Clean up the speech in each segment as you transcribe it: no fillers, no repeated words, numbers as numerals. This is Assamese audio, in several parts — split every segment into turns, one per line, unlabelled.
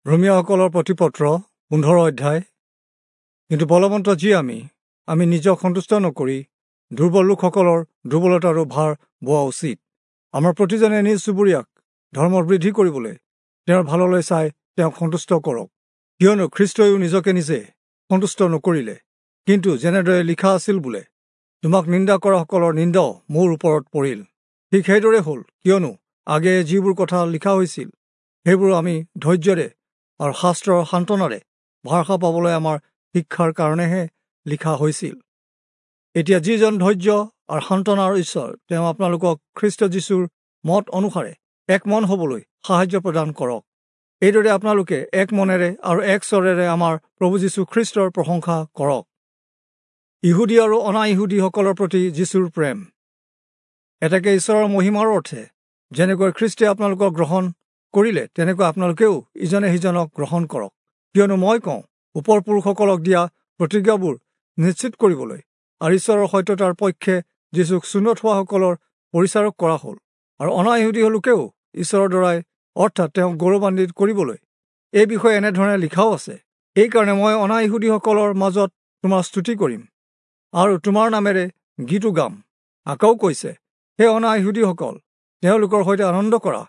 ৰোমীয়াসকলৰ প্ৰতিপত্ৰ 15 অধ্যায়। কিন্তু বলৱন্ত যি আমি আমি নিজক সন্তুষ্ট নকৰি দুৰ্বল লোকসকলৰ দুৰ্বলতাৰো ভাৰ বোৱা উচিত। আমাৰ প্ৰতিজনে নিজ চুবুৰীয়াক ধৰ্মৰ বৃদ্ধি কৰিবলৈ তেওঁৰ ভাললৈ চাই তেওঁক সন্তুষ্ট কৰক। কিয়নো খ্ৰীষ্টইও নিজকে নিজে সন্তুষ্ট নকৰিলে, কিন্তু যেনেদৰে লিখা আছিল বোলে, তোমাক নিন্দা কৰাসকলৰ নিন্দাও মোৰ ওপৰত পৰিল। ঠিক সেইদৰে হ'ল, কিয়নো আগেয়ে যিবোৰ কথা লিখা হৈছিল সেইবোৰ আমি ধৈৰ্যৰে আৰু শাস্ত্ৰৰ সান্তনাৰে ভৰসা পাবলৈ আমাৰ শিক্ষাৰ কাৰণেহে লিখা হৈছিল। এতিয়া যিজন ধৈৰ্য আৰু সান্তনাৰ ঈশ্বৰ, তেওঁ আপোনালোকক খ্ৰীষ্ট যীশুৰ মত অনুসাৰে এক মন হ'বলৈ সাহায্য প্ৰদান কৰক। এইদৰে আপোনালোকে এক মনেৰে আৰু এক স্বৰেৰে আমাৰ প্ৰভু যীশু খ্ৰীষ্টৰ প্ৰশংসা কৰক। ইহুদী আৰু অনা ইহুদীসকলৰ প্ৰতি যীশুৰ প্ৰেম। এতেকে ঈশ্বৰৰ মহিমাৰ অৰ্থে যেনেকৈ খ্ৰীষ্টে আপোনালোকক গ্ৰহণ কৰিলে, তেনেকৈ আপোনালোকেও ইজনে সিজনক গ্ৰহণ কৰক। কিয়নো মই কওঁ, ওপৰ পুৰুষসকলক দিয়া প্ৰতিজ্ঞাবোৰ নিশ্চিত কৰিবলৈ আৰু ঈশ্বৰৰ সত্যতাৰ পক্ষে যীশুক চুন্নৎ হোৱাসকলৰ পৰিচাৰক কৰা হ'ল, আৰু অনা ইহুদী লোকেও ঈশ্বৰৰ দ্বাৰাই অৰ্থাৎ তেওঁক গৌৰৱান্বিত কৰিবলৈ এই বিষয়ে এনেধৰণে লিখাও আছে, এইকাৰণে মই অনা ইহুদীসকলৰ মাজত তোমাৰ স্তুতি কৰিম আৰু তোমাৰ নামেৰে গীতো গাম। আকৌ কৈছে, হে অনা ইহুদীসকল, তেওঁলোকৰ সৈতে আনন্দ কৰা,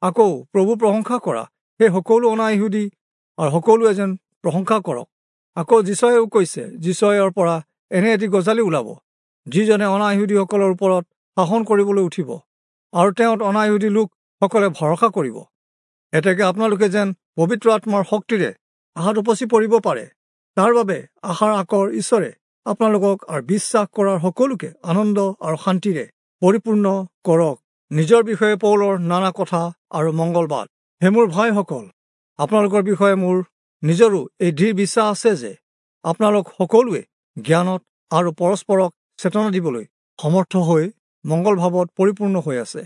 আকৌ প্ৰভু প্ৰশংসা কৰা, সেই সকলো অনা ইহুদী আৰু সকলোৱে যেন প্ৰশংসা কৰক। আকৌ যীচয়েও কৈছে, যীচয়ৰ পৰা এনে এটি গজালি ওলাব, যিজনে অনা ইহুদীসকলৰ ওপৰত শাসন কৰিবলৈ উঠিব, আৰু তেওঁত অনা ইহুদী লোকসকলে ভৰসা কৰিব। এতেকে আপোনালোকে যেন পবিত্ৰ আত্মাৰ শক্তিৰে আশাত উপচি পৰিব পাৰে, তাৰ বাবে আশাৰ আকৰ ঈশ্বৰে আপোনালোকক আৰু বিশ্বাস কৰাৰ সকলোকে আনন্দ আৰু শান্তিৰে পৰিপূৰ্ণ কৰক। নিজৰ বিষয়ে পৌলৰ নানা কথা আৰু মংগলবাদ। হে মোৰ ভাইসকল, আপোনালোকৰ বিষয়ে মোৰ নিজৰো এই দৃঢ় বিশ্বাস আছে যে আপোনালোক সকলোৱে জ্ঞানত আৰু পৰস্পৰক চেতনা দিবলৈ সমৰ্থ হৈ মংগল ভাৱত পৰিপূৰ্ণ হৈ আছে।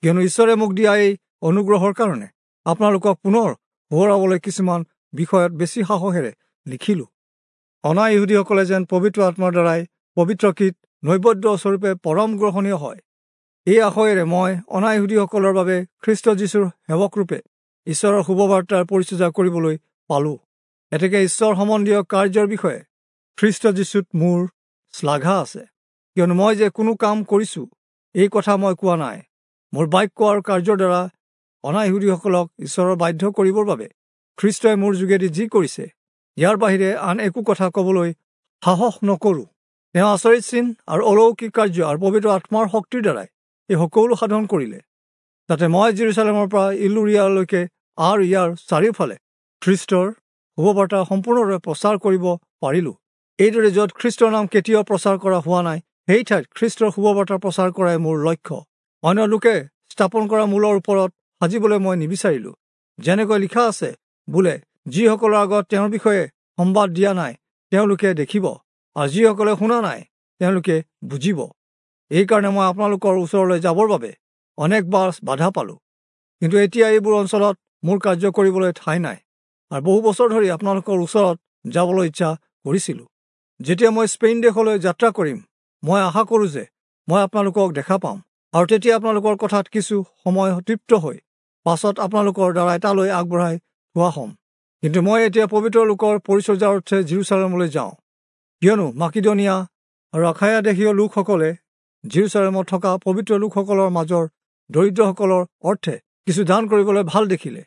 কিয়নো ঈশ্বৰে মোক দিয়া এই অনুগ্ৰহৰ কাৰণে আপোনালোকক পুনৰ সোঁৱৰাবলৈ কিছুমান বিষয়ত বেছি সাহসেৰে লিখিলোঁ। অনা ইহুদীসকলে যেন পবিত্ৰ আত্মাৰ দ্বাৰাই পবিত্ৰকৃত নৈবেদ্য স্বৰূপে পৰম গ্ৰহণীয় হয়, এই আশয়েৰে মই অনা ইহুদীসকলৰ বাবে খ্ৰীষ্ট যীশুৰ সেৱকৰূপে ঈশ্বৰৰ শুভবাৰ্তাৰ পৰিচৰ্যা কৰিবলৈ পালোঁ। এতেকে ঈশ্বৰ সম্বন্ধীয় কাৰ্যৰ বিষয়ে খ্ৰীষ্ট যীশুত মোৰ শ্লাঘা আছে। কিয়নো মই যে কোনো কাম কৰিছোঁ এই কথা মই কোৱা নাই, মোৰ বাক্য আৰু কাৰ্যৰ দ্বাৰা অনা ইহুদীসকলক ঈশ্বৰৰ বাধ্য কৰিবৰ বাবে খ্ৰীষ্টই মোৰ যোগেদি যি কৰিছে, ইয়াৰ বাহিৰে আন একো কথা ক'বলৈ সাহস নকৰোঁ। তেওঁ আচৰিত চিন আৰু অলৌকিক কাৰ্য আৰু পবিত্ৰ আত্মাৰ শক্তিৰ দ্বাৰাই এই সকলো সাধন কৰিলে। তাতে মই জেৰুচালেমৰ পৰা ইলুৰিয়ালৈকে আৰু ইয়াৰ চাৰিওফালে খ্ৰীষ্টৰ শুভবাৰ্তা সম্পূৰ্ণৰূপে প্ৰচাৰ কৰিব পাৰিলোঁ। এইদৰে য'ত খ্ৰীষ্টৰ নাম কেতিয়াও প্ৰচাৰ কৰা হোৱা নাই, সেই ঠাইত খ্ৰীষ্টৰ শুভবাৰ্তা প্ৰচাৰ কৰাই মোৰ লক্ষ্য। অন্য লোকে স্থাপন কৰা মূলৰ ওপৰত সাজিবলৈ মই নিবিচাৰিলোঁ। যেনেকৈ লিখা আছে বোলে, যিসকলৰ আগত তেওঁৰ বিষয়ে সম্বাদ দিয়া নাই তেওঁলোকে দেখিব, আৰু যিসকলে শুনা নাই তেওঁলোকে বুজিব। এইকাৰণে মই আপোনালোকৰ ওচৰলৈ যাবৰ বাবে অনেকবাৰ বাধা পালোঁ। কিন্তু এতিয়া এইবোৰ অঞ্চলত মোৰ কাৰ্য কৰিবলৈ ঠাই নাই, আৰু বহু বছৰ ধৰি আপোনালোকৰ ওচৰত যাবলৈ ইচ্ছা কৰিছিলোঁ। যেতিয়া মই স্পেইন দেশলৈ যাত্ৰা কৰিম, মই আশা কৰোঁ যে মই আপোনালোকক দেখা পাম, আৰু তেতিয়া আপোনালোকৰ কথাত কিছু সময় তৃপ্ত হৈ পাছত আপোনালোকৰ দ্বাৰাই তালৈ আগবঢ়াই থোৱা হ'ম। কিন্তু মই এতিয়া পবিত্ৰ লোকৰ পৰিচৰ্যাৰ অৰ্থে জেৰুচালেমলৈ যাওঁ। কিয়নো মাকিদনিয়া আৰু আখায়া দেশীয় লোকসকলে জেৰুচালেমত থকা পবিত্ৰ লোকসকলৰ মাজৰ দৰিদ্ৰসকলৰ অৰ্থে কিছু দান কৰিবলৈ ভাল দেখিলে।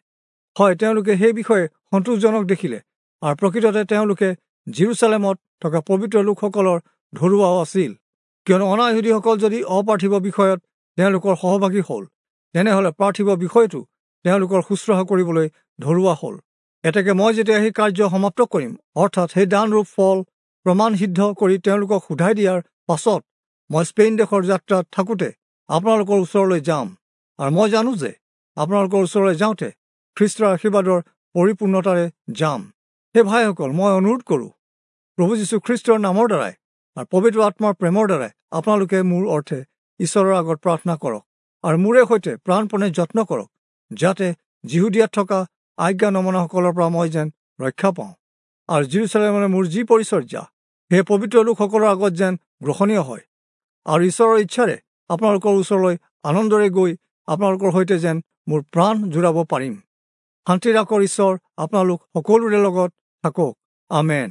হয়, তেওঁলোকে সেই বিষয়ে সন্তোষজনক দেখিলে, আৰু প্ৰকৃততে তেওঁলোকে জেৰুচালেমত থকা পবিত্ৰ লোকসকলৰ ধৰুৱাও আছিল। কিয়নো অনা ইহুদীসকল যদি অপাৰ্থিৱ বিষয়ত তেওঁলোকৰ সহভাগী হ'ল, তেনেহ'লে পাৰ্থিৱ বিষয়টো তেওঁলোকৰ শুশ্ৰূষা কৰিবলৈ ধৰুৱা হ'ল। এতেকে মই যেতিয়া সেই কাৰ্য সমাপ্ত কৰিম, অৰ্থাৎ সেই দানৰূপ ফল প্ৰমাণ সিদ্ধ কৰি তেওঁলোকক সোধাই দিয়াৰ পাছত মই স্পেইন দেশৰ যাত্ৰাত থাকোঁতে আপোনালোকৰ ওচৰলৈ যাম। আৰু মই জানো যে আপোনালোকৰ ওচৰলৈ যাওঁতে খ্ৰীষ্টৰ আশীৰ্বাদৰ পৰিপূৰ্ণতাৰে যাম। হে ভাইসকল, মই অনুৰোধ কৰোঁ, প্ৰভু যীশু খ্ৰীষ্টৰ নামৰ দ্বাৰাই আৰু পবিত্ৰ আত্মাৰ প্ৰেমৰ দ্বাৰাই আপোনালোকে মোৰ অৰ্থে ঈশ্বৰৰ আগত প্ৰাৰ্থনা কৰক, আৰু মোৰে সৈতে প্ৰাণপণে যত্ন কৰক, যাতে যিহুদীয়াত থকা আজ্ঞা নমনাসকলৰ পৰা মই যেন ৰক্ষা পাওঁ, আৰু জেৰুচালেমলৈ মোৰ যি পৰিচৰ্যা সেই পবিত্ৰ লোকসকলৰ আগত যেন গ্ৰহণীয় হয়, আৰু ঈশ্বৰৰ ইচ্ছাৰে আপোনালোকৰ ওচৰলৈ আনন্দৰে গৈ আপোনালোকৰ সৈতে যেন মোৰ প্ৰাণ জোৰাব পাৰিম। শান্তিৰ আকৰ ঈশ্বৰ আপোনালোক সকলোৰে লগত থাকক। আমেন।